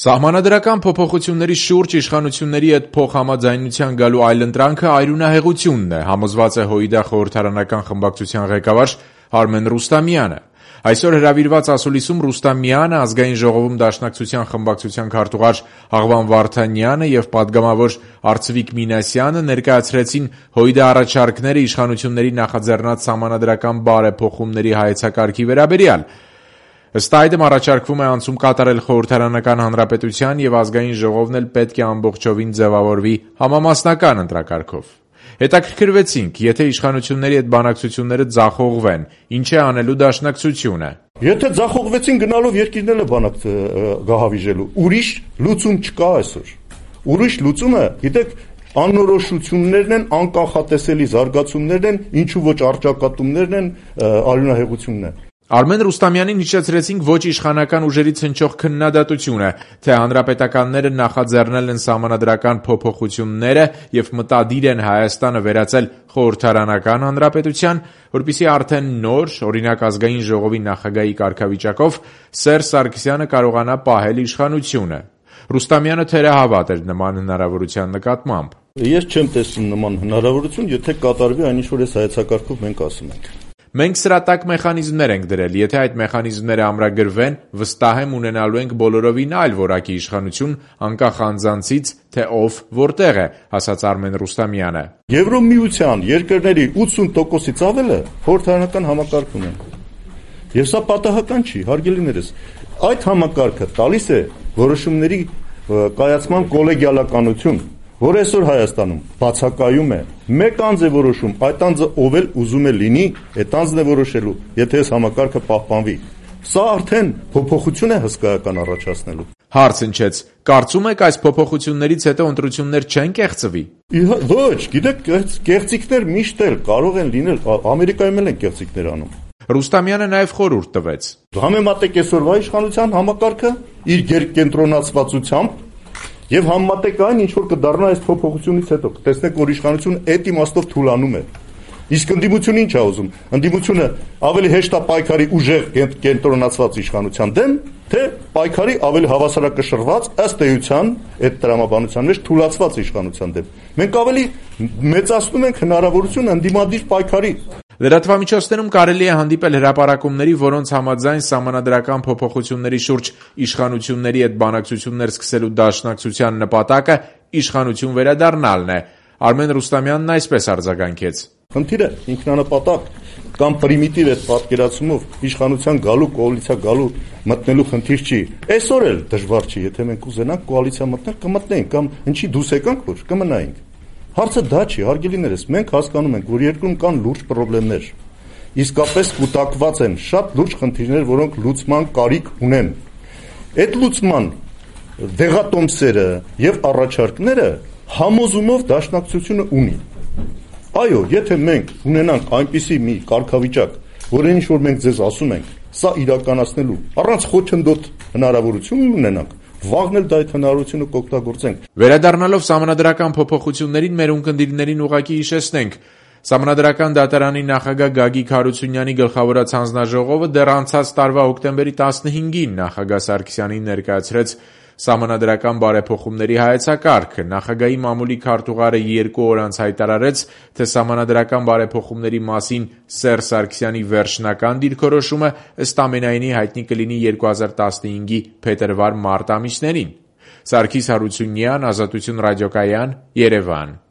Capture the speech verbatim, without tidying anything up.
Սահմանադրական փոփոխությունների շուրջ իշխանությունների հետ փոխհամաձայնության գալու այլընտրանքը այրունահեղությունն է, համոզված է ՀՅԴ խորհրդարանական խմբակցության ղեկավար Արմեն Ռուստամյանը։ Այսօր հրավիրված ասուլիսում Ռուստամյանը, Ազգային ժողովում Դաշնակցության խմբակցության քարտուղար Աղվան Վարդանյանը եւ պատգամավոր Արծվիկ Մինասյանը ներկայացրեցին ՀՅԴ առաջարկները իշխանությունների նախաձեռնած սահմանադրական բարեփոխումների հայեցակարգի վերաբերյալ։ Ըստ այդմ առաջարկվում է անցում կատարել խորհրդարանական հանրապետության եւ Ազգային ժողովն էլ պետք է ամբողջովին ձևավորվի համամասնական ընտրակարգով։ Հետաքրքրվեցինք, եթե իշխանությունների հետ բանակցությունները ձախողվեն, ինչ է անելու Դաշնակցությունը։ Եթե ձախողվեցին գնալով երկիրները բանակ գահավիժելու, ուրիշ լուծում չկա այսօր։ Ուրիշ լուծումը, գիտեք, անորոշություններն են, անկանխատեսելի զարգացումներն են, ինչու ոչ առճակատումներն են, արյունահեղությունն է։ Արմեն Ռուստամյանին հիշեցրեցինք ոչ իշխանական ուժերից հնչող քննադատությունը, թե հանրապետականները նախաձեռնել են սահմանադրական փոփոխությունները եւ մտադիր են Հայաստանը վերածել խորհրդարանական հանրապետության, որպեսզի արդեն նոր, օրինակ Ազգային ժողովի նախագահի կարգավիճակով Սերժ Սարգսյանը կարողանա պահել իշխանությունը։ Ռուստամյանը թերահավատ էր նման հնարավորության նկատմամբ։ Ես չեմ տեսնում նման հնարավորություն, եթե կատարվի այն ինչ որ այս հայեցակարգով մենք ասում ենք։ Մենք սրա տակ մեխանիզմներ ենք դրել, եթե այդ մեխանիզմները ամրագրվեն, վստահ եմ ունենալու ենք բոլորովին այլ որակի իշխանություն, անկախ անձանցից, թե ով որտեղ է, ասաց Արմեն Ռուստամյանը։ Եվրոմիության երկրների ութսուն տոկոսից ավելը խորհրդարանական համակարգ ունեն։ Եվ սա պատահական չի, հարգելիներս։ Այդ համակարգը տալիս է որոշումների կայացման կոլեգիալականություն, որ այսօր Հայաստանում բացակայում է։ Մեկ անձ է որոշում, այդ անձը ով էլ ուզում է լինի, այդ անձն է որոշելու, եթե այս համակարգը պահպանվի։ Սա արդեն փոփոխություն է հսկայական առաջացնելու։ Հարց հնչեց. կարծում եք այս փոփոխություններից հետո ընտրություններ չեն կեղծվի։ Ոչ, գիտեք, կեղծիքներ միշտ էլ կարող են լինել, Ամերիկայում էլ են կեղծիքներ անում։ Ռուստամյանը նաև խորհուրդ տվեց։ Համեմատեք այսօրվա իշխանության համակարգը իր գերկենտրոնացվածությամբ եւ համեմատեք այն, ինչ որ կդառնա այս փոփոխությունից հետո, կտեսնեք, որ իշխանությունը այդ իմաստով թուլանում է։ Իսկ ընդդիմությունը ինչ է ուզում։ Ընդդիմությունը ավելի հեշտ է պայքարի ուժեղ կենտրոնացված իշխանության դեմ, թե պայքարի ավելի հավասարակշռված, ըստ էության, այդ տրամաբանության մեջ թուլացված իշխանության դեմ։ Մենք ավելի մեծացնում ենք հնարավորությունը ընդդիմադիր պայքարի։ Լրատվամիջոցներում կարելի է հանդիպել հրապարակումների, որոնց համաձայն սահմանադրական փոփոխությունների շուրջ իշխանությունների հետ բանակցություններ սկսելու Դաշնակցության նպատակը իշխանություն վերադառնալն է։ Արմեն Ռուստամյանն այսպես արձագանքեց. Խնդիրը ինքնանպատակ կամ պրիմիտիվ այդ պատկերացումով իշխանության գալու, կոալիցիա գալու, մտնելու խնդիր չի։ Այսօր էլ դժվար չի, եթե մենք ուզենանք կոալիցիա մտնել, կմտնենք կամ ինչի դուրս եկանք, որ կմնայինք։ Հարցը դա չի, հարգելիներս, մենք հասկանում ենք, որ երկրում կան լուրջ խնդիրներ։ Իսկապես կուտակված են շատ լուրջ խնդիրներ, որոնք լուծման կարիք ունեն։ Այդ լուծման դեղատոմսերը եւ առաջարկները համոզումով Դաշնակցությունը ունի։ Այո, եթե մենք ունենանք այնպիսի մի կարգավիճակ, որին ինչ որ մենք ձեզ ասում ենք, սա իրականացնելու առանց խոչընդոտ հնարավորություն ունենանք, վաղն էլ դա այդ հնարավորությունը կօգտագործենք։ Վերադառնալով սահմանադրական փոփոխություններին, մեր ունկնդիրներին ուղղակի հիշեցնենք. Սահմանադրական դատարանի նախագահ Գագիկ Հարությունյանի գլխավորած հանձնաժողովը դեռ անցած տարվա հոկտեմբերի տասնհինգին նախագահ Սարգսյանին ներկայացրեց սահմանադրական բարեփոխումների հայեցակարգը։ Նախագահի մամուլի քարտուղարը երկու օր անց հայտարարեց, թե սահմանադրական բարեփոխումների մասին Սերժ Սարգսյանի վերջնական դիրքորոշումը ըստ ամենայնի հայտնի կլինի երկու հազար տասնհինգի փետրվար-մարտ ամիսներին։ Սարգիս Հարությունյան, Ազատություն ռադիոկայան, Երևան։